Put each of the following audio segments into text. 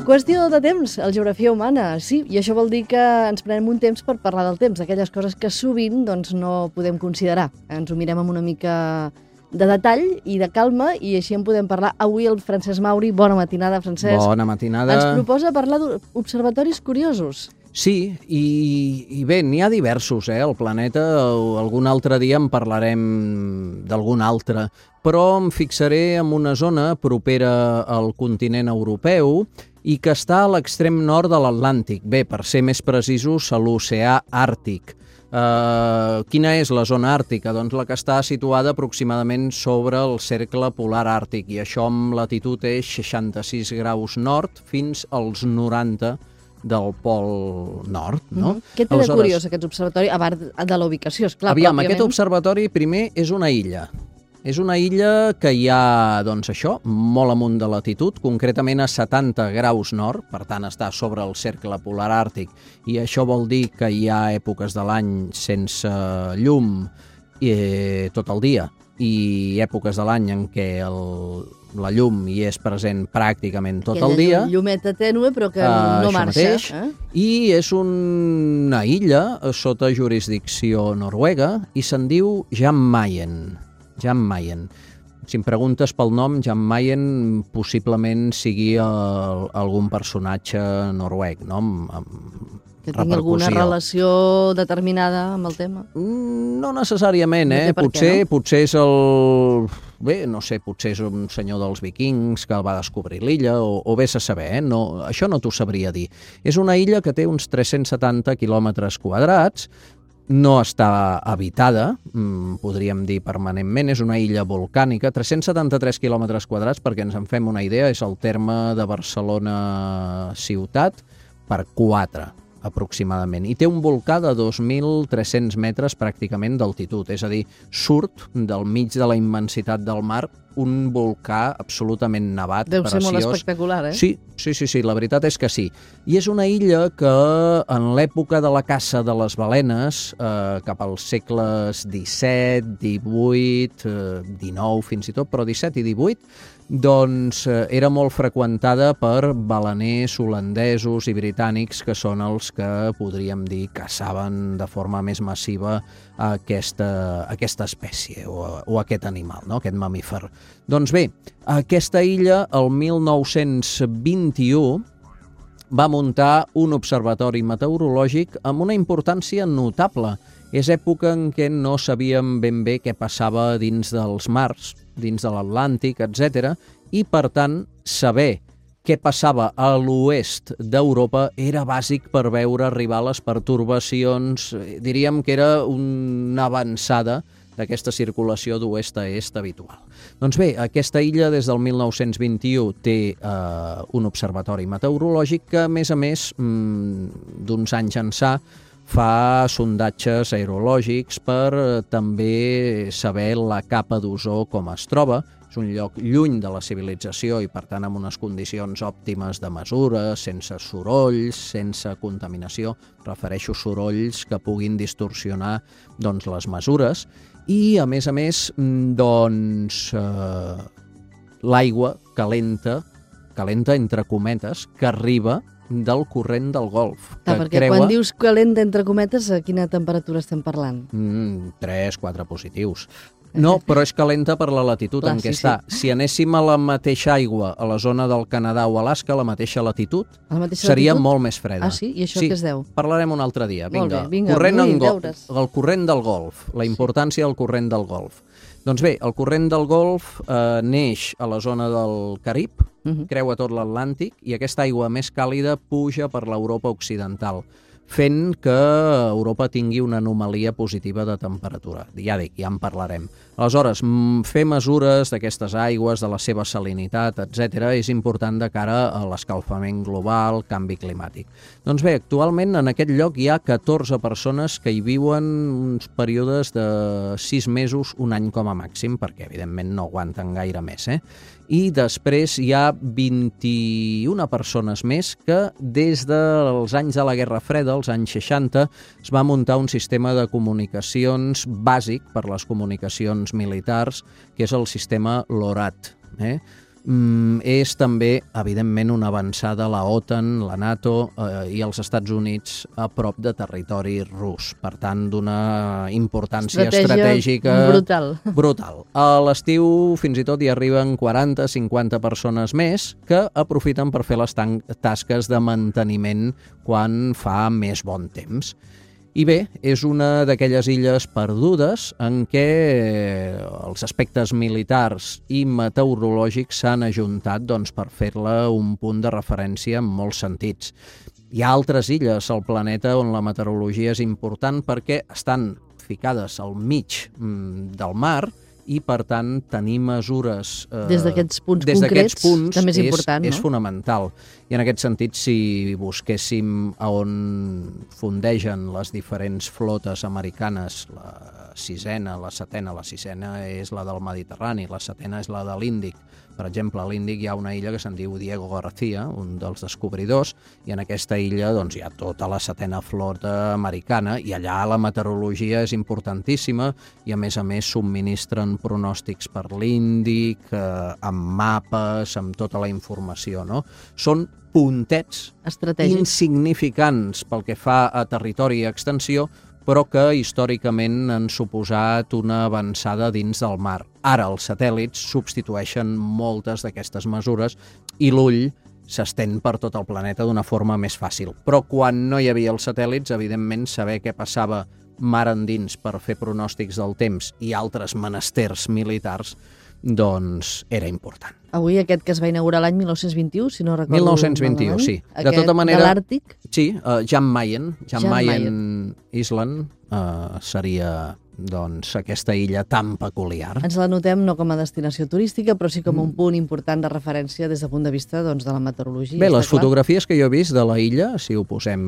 Qüestió de temps, el Geografia Humana, sí, i això vol dir que ens prenem un temps per parlar del temps, aquelles coses que sovint doncs, no podem considerar. Ens ho mirem amb una mica de detall i de calma i així en podem parlar. Avui el Francesc Mauri, bona matinada, Francesc. Bona matinada. Ens proposa parlar d'observatoris curiosos. Sí, i bé, n'hi ha diversos, al planeta. Algun altre dia en parlarem d'algun altre, però em fixaré en una zona propera al continent europeu i que està a l'extrem nord de l'Atlàntic. Bé, per ser més precisos, a l'oceà Àrtic. Quina és la zona àrtica? Doncs la que està situada aproximadament sobre el cercle polar àrtic, i això amb latitud és 66 graus nord fins als 90 del pol nord, no? Què té de curiós aquest observatori, a part de la ubicació, esclar, pròpiament? Aquest observatori, primer, és una illa. És una illa que hi ha, doncs això, molt amunt de latitud, concretament a 70 graus nord, per tant està sobre el cercle polar àrtic, i això vol dir que hi ha èpoques de l'any sense llum tot el dia, i èpoques de l'any en què la llum hi és present pràcticament tot el dia. Aquella llumeta tènue però que no marxa. I és una illa sota jurisdicció noruega i se'n diu Jan Mayen. Jan Mayen. Si em preguntes pel nom, Jan Mayen possiblement sigui algun personatge noruec, no? Que tingui alguna relació determinada amb el tema? No necessàriament, Potser és el... Bé, no sé, potser és un senyor dels vikings que va descobrir l'illa, o vés a saber, no, això no t'ho sabria dir. És una illa que té uns 370 quilòmetres quadrats, no està habitada, podríem dir permanentment, és una illa volcànica, 373 quilòmetres quadrats, perquè ens en fem una idea, és el terme de Barcelona ciutat per 4, aproximadament. I té un volcà de 2.300 metres pràcticament d'altitud, és a dir, surt del mig de la immensitat del mar un volcà absolutament nevat, preciós. Deu ser molt espectacular, Sí, la veritat és que sí. I és una illa que en l'època de la caça de les balenes, cap als segles XVII, XVIII, XIX fins i tot, però XVII i XVIII, doncs era molt freqüentada per baleners holandesos i britànics, que són els que, podríem dir, caçaven de forma més massiva aquesta espècie o aquest animal, no? Aquest mamífer. Doncs bé, aquesta illa, el 1921, va muntar un observatori meteorològic amb una importància notable. És època en què no sabíem ben bé què passava dins dels mars, dins de l'Atlàntic, etc. I, per tant, saber què passava a l'oest d'Europa era bàsic per veure arribar les pertorbacions. Diríem que era una avançada d'aquesta circulació d'oest a est habitual. Doncs bé, aquesta illa des del 1921 té un observatori meteorològic que, a més, d'uns anys ençà, fa sondatges aerològics per també saber la capa d'ozó com es troba. És un lloc lluny de la civilització i, per tant, amb unes condicions òptimes de mesura, sense sorolls, sense contaminació. Prefereixo sorolls que puguin distorsionar les mesures. I, a més, l'aigua calenta entre cometes, que arriba del corrent del Golf. Perquè quan dius calenta entre cometes, a quina temperatura estem parlant? 3-4 positius. No, però és calenta per la latitud en què està. Si anéssim a la mateixa aigua a la zona del Canadà o Alaska, a la mateixa latitud, seria molt més freda. Ah, sí? I això què es deu? Parlarem un altre dia. Vinga, el corrent del Golf, la importància del corrent del Golf. Doncs bé, el corrent del Golf neix a la zona del Carib, creua tot l'Atlàntic, i aquesta aigua més càlida puja per l'Europa occidental, fent que Europa tingui una anomalia positiva de temperatura. Ja en parlarem. Aleshores, fer mesures d'aquestes aigües, de la seva salinitat, etc., és important de cara a l'escalfament global, canvi climàtic. Doncs bé, actualment en aquest lloc hi ha 14 persones que hi viuen uns períodes de 6 mesos, un any com a màxim, perquè evidentment no aguanten gaire més, i després hi ha 21 persones més que des dels anys de la Guerra Freda, els anys 60, es va muntar un sistema de comunicacions bàsic per les comunicacions militars, que és el sistema LORAT. És també, evidentment, una avançada la OTAN, la NATO i els Estats Units a prop de territori rus. Per tant, d'una importància estratègica brutal. A l'estiu fins i tot hi arriben 40-50 persones més que aprofiten per fer les tasques de manteniment quan fa més bon temps. I bé, és una d'aquelles illes perdudes en què els aspectes militars i meteorològics s'han ajuntat per fer-la un punt de referència en molts sentits. Hi ha altres illes al planeta on la meteorologia és important perquè estan ficades al mig del mar i, per tant, tenir mesures des d'aquests punts concrets també és important, no? És fonamental. I en aquest sentit, si busquéssim a on fondegen les diferents flotes americanes, la sisena, la setena, la sisena és la del Mediterrani, la setena és la de l'Índic. Per exemple, a l'Índic hi ha una illa que se'n diu Diego García, un dels descobridors, i en aquesta illa hi ha tota la setena flota americana, i allà la meteorologia és importantíssima, i a més subministren pronòstics per l'Índic, amb mapes, amb tota la informació, no? Són puntets insignificants pel que fa a territori i extensió, però que històricament han suposat una avançada dins del mar. Ara els satèl·lits substitueixen moltes d'aquestes mesures i l'ull s'estén per tot el planeta d'una forma més fàcil. Però quan no hi havia els satèl·lits, evidentment, saber què passava mar endins per fer pronòstics del temps i altres menesters militars, doncs era important. Avui aquest que es va inaugurar l'any 1921, si no recordo... 1921, sí. De tota manera, de l'Àrtic? Sí, Jan Mayen Island seria aquesta illa tan peculiar. Ens la notem no com a destinació turística, però sí com un punt important de referència des del punt de vista de la meteorologia. Bé, les fotografies que jo he vist de la illa, si ho posem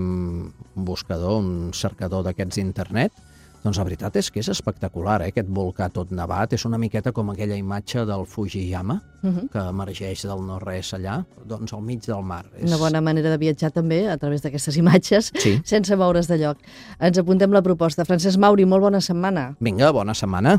un buscador, un cercador d'aquests d'internet, doncs la veritat és que és espectacular, aquest volcà tot nevat. És una miqueta com aquella imatge del Fujiyama, que emergeix del no-res allà, doncs al mig del mar. Una bona manera de viatjar també a través d'aquestes imatges, sense moure's de lloc. Ens apuntem la proposta. Francesc Mauri, molt bona setmana. Vinga, bona setmana.